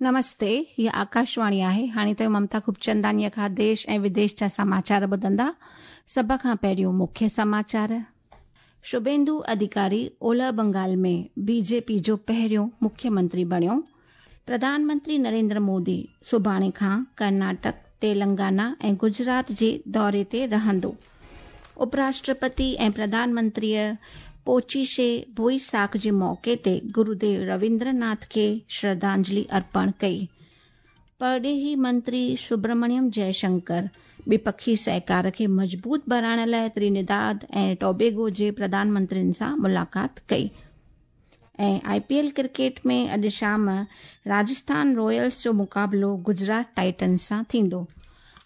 نمستي، هيء آڪاشواڻي آهي. هاڻي توهين ممتا خوبچنداڻيء کان ديش ۽ وديش جا سماچار ٻڌندا. سڀ کان پهريون مکيه سماچار. شڀيندو اڌيڪاري اولهه بنگال ۾ بي جي پي جو پهريون مکيه منتري بڻيو. پرڌان منتري نريندر مودي سڀاڻي کان ڪرناٽڪ، تيلنگانا ۽ گجرات جي دوري تي رهندو. اپراشٽرپتي ۽ پرڌان منتريء پوچيشي بوئيساک جي موقعي تي گروديو رويندر ناٿ کي شرڌانجلي ارپڻ ڪئي. پرڏيهي منتري سبرمڻيم جئه شنڪر ٻپکي سهڪار کي مضبوط بڻائڻ لاء ترينيداد ۽ ٽوبيگو جي پرڌان منترين سان ملاقات ڪئي. ۽ آء پي ايل ڪرڪيٽ ۾ اڄ شام راجسٿان رائلز جو مقابلو گجرات ٽائٽنز سان ٿيندو.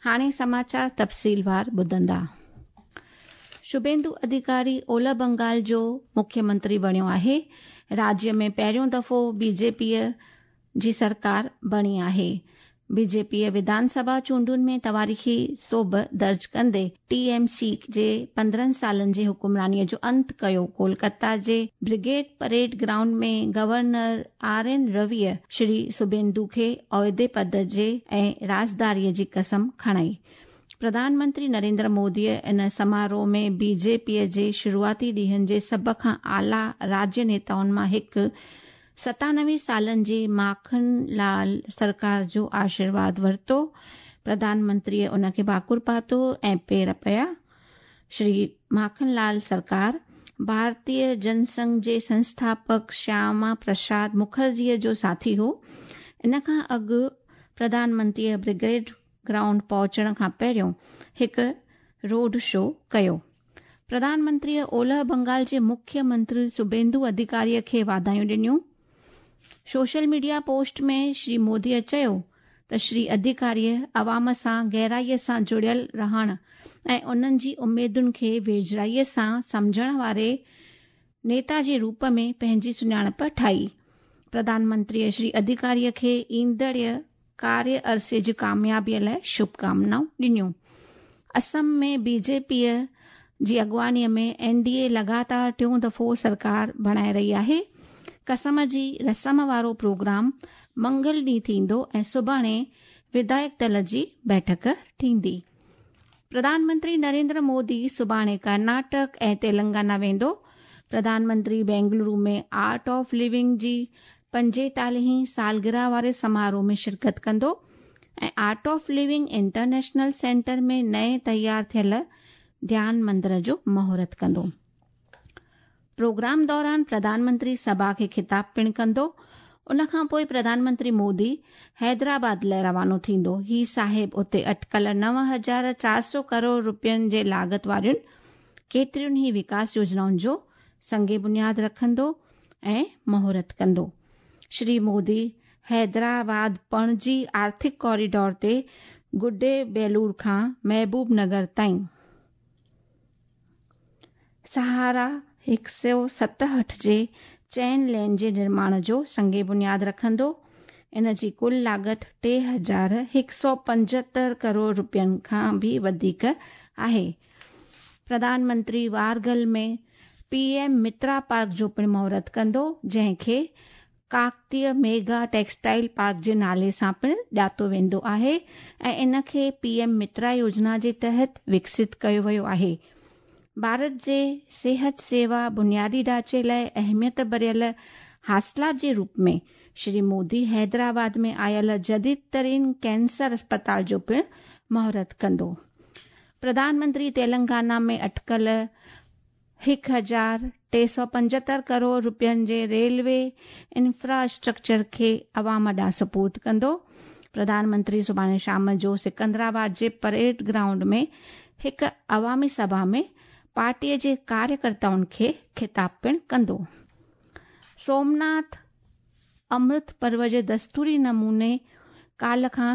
هاڻي سماچار تفصيلوار ٻڌندا. شڀيندو اڌيڪاري اولهه بنگال جو مکيه منتري بڻيو آهي. راجيه ۾ پهريون دفعو بي جي پيء جي سرڪار بڻي آهي. بي جي پيء وڌان سڀا چونڊن ۾ تواريخي سوڀ درج ڪندي ٽي ايم سي جي 15 سالن جي حڪمرانيء جو انت ڪيو. ڪولڪتا جي brigade parade ground ۾ governor R N رويء Shri سڀيندو کي عهدي پد جي ۽ رازداريء جي قسم کڻائي. پرڌان منتري نريندر موديء ان سماروهه ۾ بي جي پيء جي شروعاتي ڏينهن جي سڀ کان اعليٰ راجيه نيتائن مان هڪ 97 سالن جي ماکن لال سرڪار جو آشيرواد ورتو. پرڌان منتريء ان کي ڀاڪر پاتو ۽ پير پيا. شري ماکن لال سرڪار ڀارتيه جن سنگهه جي سنسٿاپڪ شياما پرساد مکرجيء جو ساٿي هو. ان کان اڳ پرڌان منتريء برگيڊ گرائونڊ پهچڻ کان پهريون هڪ روڊ شو ڪيو. پرڌان منتريء اولهه بنگال جي مکيه منتري سڀيندو اڌيڪاريء کي واڌايون ڏنيون. سوشل ميڊيا پوسٽ ۾ شري موديء چيو ته شري اڌيڪاريء عوام سان گهرائيء سان جڙيل رهڻ ۽ انهن جي اميدن کي ويجهڙائيء سان سمجهڻ واري نيتا جي روپ ۾ پنهنجي سڃاڻپ ٺاهي. پرڌان منتريء شري اڌيڪاريء کي ايندڙ ڪاريه عرصي جي ڪاميابيء لاء شڀڪامنائون ڏنيون. اسم ۾ بي جي پيء جي اڳواڻيء ۾ اين ڊي اي لڳاتار ٽيون دفعو سرڪار بڻائي رهي آهي. قسم جي رسم وارو پروگرام منگل ڏينهن ٿيندو ۽ سڀاڻي وڌايڪ دل جي بيٺڪ ٿيندي. پرڌان منتري نريندر مودي سڀاڻي ڪرناٽڪ ۽ تيلنگانا ويندو. Pradhan Mantri Bengaluru ۾ art of living جي پنجيتاليهين سالگرهه واري سماروهه ۾ شرڪت ڪندو ۽ art of living international centre ۾ نئين تيار ٿيل ڌيان مندر جو مهورت ڪندو. پروگرام دوران پرڌان منتري سڀا کي خطاب پڻ ڪندو. ان کان پوء پرڌان منتري مودي حيدرآباد لاء روانو ٿيندو. هي صاحب اتي اٽڪل 9400 ڪروڙ روپين جي لاڳت وارين ڪيترين ئي وڪاس يوجنائن جو سنگ بنياد رکندو ۽ مهورت ڪندو. شري مودي حيدرآباد پڻجي آرٿڪ ڪاريڊور تي گڊي بيلور کان محبوب نگر تائين سهارا 167 جي چئن لين جي نرماڻ جو سنگ بنياد رکندو. ان جي ڪل لاڳت 3175 ڪروڙ روپين کان به وڌيڪ آهي. پرڌان منتري وارگل ۾ پي ايم مترا پارڪ جو پڻ مهورت ڪندو، جنهن کي ڪاڪتيه ميگا ٽيڪسٽائيل پارڪ جي نالي سان پڻ ڄاتو ويندو آهي ۽ ان کي پي ايم مترا يوجنا جي تحت وڪست ڪيو ويو آهي. ڀارت جي صحت سيوا بنيادي ڍانچي لاء اهميت ڀريل حاصلات جي روپ ۾ شري مودي حيدرآباد ۾ آيل جديد ترين ڪينسر اسپتال جو پڻ مهورت ڪندو. پرڌان منتري تيلنگانا ۾ اٽڪل 1375 ڪروڙ روپين جي ريلوي انفراسٽرڪچر کي عوام ڏانهن سپرد ڪندو. پرڌان منتري سڀاڻي شام جو سڪندرآباد جي پريڊ گرائونڊ ۾ هڪ عوامي سڀا ۾ پارٽي جي ڪاريڪرتائن کي خطاب پڻ ڪندو. سومناٿ امرت پرو جي دستوري نموني ڪالهه کان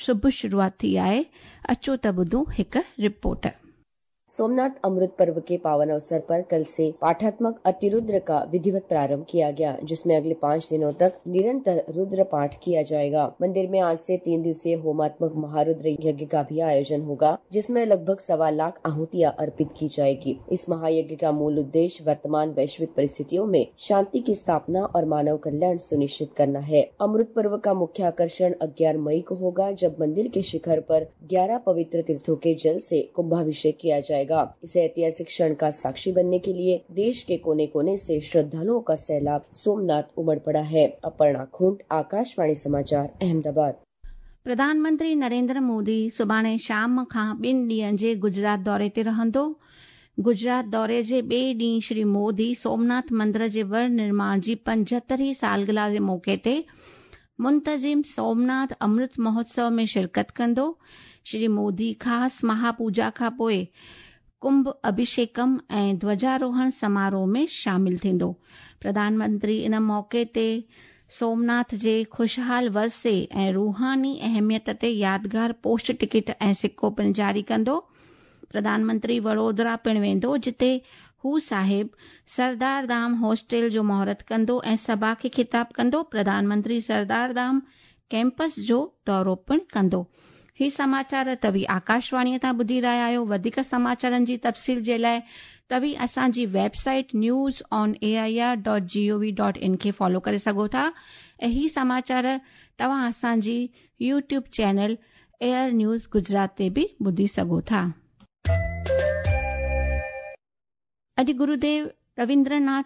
شڀ شروعات ٿي آهي، اچو ته ٻڌون هڪ رپورٽ. सोमनाथ अमृत पर्व के पावन अवसर पर कल से पाठात्मक अतिरुद्र का विधिवत प्रारंभ किया गया, जिसमें अगले 5 दिनों तक निरंतर रुद्र पाठ किया जाएगा। मंदिर में आज से 3 दिवसीय होमात्मक महारुद्र यज्ञ का भी आयोजन होगा, जिसमें लगभग 1.25 लाख आहुतियां अर्पित की जाएगी। इस महायज्ञ का मूल उद्देश्य वर्तमान वैश्विक परिस्थितियों में शांति की स्थापना और मानव कल्याण सुनिश्चित करना है। अमृत पर्व का मुख्य आकर्षण 11 मई को होगा, जब मंदिर के शिखर पर 11 पवित्र तीर्थों के जल से कुंभाभिषेक किया जाएगा। इस ऐतिहासिक क्षण का साक्षी बनने के लिए देश के कोने कोने से श्रद्धालुओं का सैलाब सोमनाथ उमड़ पड़ा है। अपर्णा खूंट, आकाशवाणी समाचार, अहमदाबाद। प्रधानमंत्री नरेंद्र मोदी सुभाणे शाम खां 2 ॾींहनि जे गुजरात दौरे ते रहंदो। गुजरात दौरे जे ॿिए ॾींहुं श्री मोदी सोमनाथ मंदिर जे वर निर्माण जी 75वीं सालगिरह जे मौक़े ते मुंतज़िम सोमनाथ अमृत महोत्सव में शिरकत कंदो। श्री मोदी ख़ासि महापूजा खां पोइ कुंभ अभिषेकम ऐं ध्वजारोहण समारोह में शामिल थींदो। प्रधानमंत्री इन मौक़े ते सोमनाथ जे ख़ुशहाल वर्से ऐं रूहानी अहमियत ते यादगार पोस्ट टिकट ऐं सिक्को पिणु जारी कंदो। प्रधानमंत्री वडोदरा पिणु वेंदो, जिते हू साहिब सरदार धाम हॉस्टल जो मुहूर्त कंदो ऐं सभा खे ख़िताब कंदो। प्रधानमंत्री सरदार धाम कैंपस जो दौरो पिणु कंदो। ही समाचार तव्हीं आकाशवाणीअ तां ॿुधी रहिया आहियो। वधीक समाचारनि जी तफ़सील जे लाइ तव्हीं असांजी वेबसाइट newsonair.gov.in खे फॉलो करे सघो था ऐं ही समाचार तव्हां असांजी YouTube channel AIR news Gujarat ते बि ॿुधी सघो था। अॼु गुरुदेव रवींद्रनाथ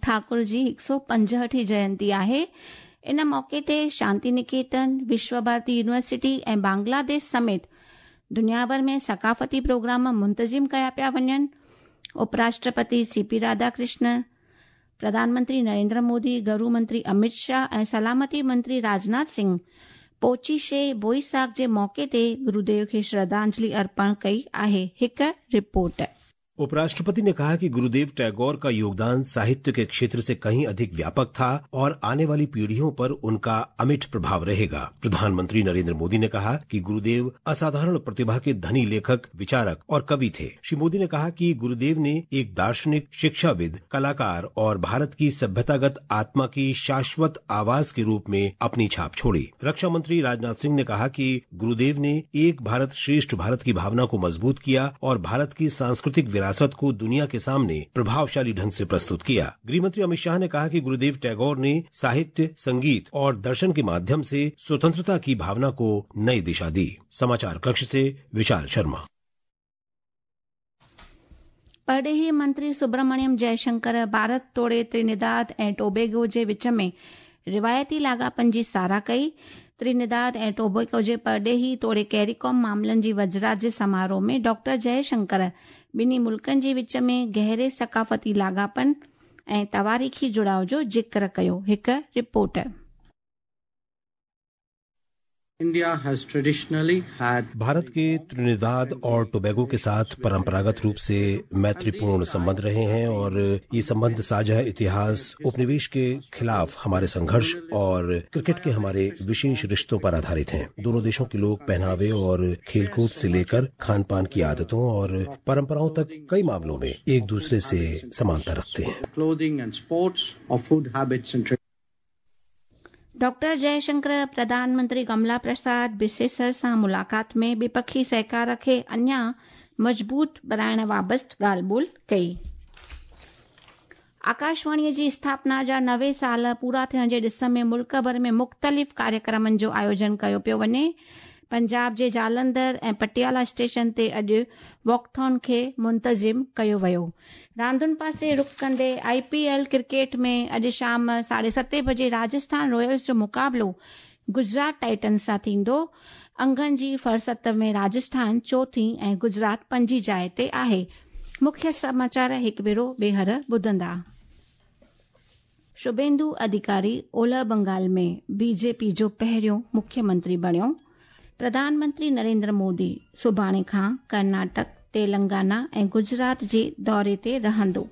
ठाकुर जी 165वीं जयंती आहे। इन मौक़े ते शांति निकेतन, विश्व भारती यूनिवर्सिटी ऐं बांग्लादेश समेत दुनिया भर में सकाफ़ती प्रोग्राम मुंतज़िम कया पिया वञनि। उपराष्ट्रपति सीपी राधाकृष्णन, प्रधानमंत्री नरेंद्र मोदी, गृह मंत्री अमित शाह ऐं सलामती मंत्री राजनाथ सिंह पोचीशे बोईसाख जे मौक़े ते गुरुदेव खे श्रद्धांजलि अर्पण कई आहे। हिकु रिपोर्ट। उपराष्ट्रपति ने कहा कि गुरुदेव टैगोर का योगदान साहित्य के क्षेत्र से कहीं अधिक व्यापक था और आने वाली पीढ़ियों पर उनका अमिट प्रभाव रहेगा। प्रधानमंत्री नरेंद्र मोदी ने कहा कि गुरुदेव असाधारण प्रतिभा के धनी लेखक, विचारक और कवि थे। श्री मोदी ने कहा कि गुरुदेव ने एक दार्शनिक, शिक्षाविद, कलाकार और भारत की सभ्यतागत आत्मा की शाश्वत आवाज के रूप में अपनी छाप छोड़ी। रक्षा मंत्री राजनाथ सिंह ने कहा कि गुरुदेव ने एक भारत श्रेष्ठ भारत की भावना को मजबूत किया और भारत की सांस्कृतिक विरासत को दुनिया के सामने प्रभावशाली ढंग से प्रस्तुत किया। गृहमंत्री अमित शाह ने कहा कि गुरुदेव टैगोर ने साहित्य, संगीत और दर्शन के माध्यम से स्वतंत्रता की भावना को नई दिशा दी। समाचार कक्ष से विशाल शर्मा। परॾेही मंत्री सुब्रमण्यम जयशंकर भारत तोड़े त्रिनिदाद ऐं टोबेगो जे विच में रिवायती लाॻापनि जी सराह कई। त्रिनिदाद ऐं टोबेगो जे परॾेही तोड़े कैरीकॉम मामलनि जी वज़रात जे समारोह में डॉक्टर जयशंकर ॿिन्ही मुल्कनि जे विच में गहरे सकाफ़ती लाॻापनि ऐं तवारीख़ी जुड़ाव जो ज़िक्र कयो। हिकु रिपोर्ट। भारत के त्रिनिदाद और टोबैगो के साथ परंपरागत रूप से मैत्रीपूर्ण संबंध रहे हैं और ये संबंध साझा इतिहास, उपनिवेश के खिलाफ हमारे संघर्ष और क्रिकेट के हमारे विशेष रिश्तों पर आधारित हैं। दोनों देशों के लोग पहनावे और खेलकूद से लेकर खान पान की आदतों और परंपराओं तक कई मामलों में एक दूसरे से समानता रखते हैं। डॉक्टर जयशंकर प्रधानमंत्री कमला प्रसाद बिसेसर सां मुलाक़ात में विपक्षी सहकार खे अञा मज़बूत बणाइण बाबति ॻाल्हि ॿोल कई। आकाशवाणीअ जी स्थापना जा 90 साल पूरा थियण जे ॾिस में मुल्क भर में मुख़्तलिफ़ कार्यक्रमनि जो आयोजन कयो पियो वञे। पंजाब जे जालंधर ऐं पटियाला स्टेशन ते अॼु वॉकथॉन खे मुंतज़िम कयो वियो। रांदुनि पासे रुख कंदे आईपीएल क्रिकेट में अॼु शाम 7:30 बजे राजस्थान रॉयल्स जो मुक़ाबलो गुजरात टाइटन्स सां थींदो। अंगनि जी फहरिस्त में राजस्थान चोथी ऐं गुजरात पंजी जाइ ते आहे। मुख्य समाचार हिकु भेरो ॿीहर ॿुधंदा। शुभेंदु अधिकारी ओलह बंगाल में बीजेपी जो पहिरियों मुख्यमंत्री बणियो। प्रधानमंत्री नरेंद्र मोदी सुभाणे खां कर्नाटक, तेलंगाना ऐं गुजरात जे दौरे ते रहंदो।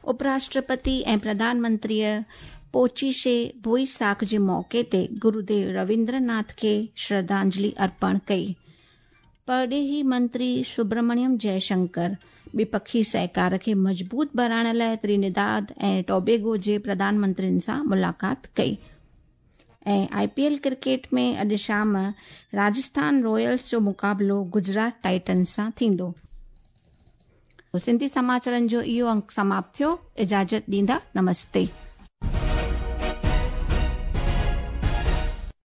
उपराष्ट्रपति ऐं प्रधानमंत्रीअ पोचीशे बोईसाख जे मौक़े ते गुरुदेव रवींद्रनाथ खे श्रद्धांजलि अर्पण कई। परॾेही मंत्री सुब्रमण्यम जयशंकर ॿिपखी सहकार खे मज़बूत बणाइण लाइ त्रिनिदाद ऐं टोबेगो जे प्रधानमंत्रियुनि सां मुलाक़ात कई। ऐं आईपीएल क्रिकेट में अॼु शाम राजस्थान रॉयल्स जो मुक़ाबिलो गुजरात टाइटन्स सां थींदो। सिंधी समाचारनि जो इहो अंक समाप्त थियो। इजाज़त ॾींदा, नमस्ते।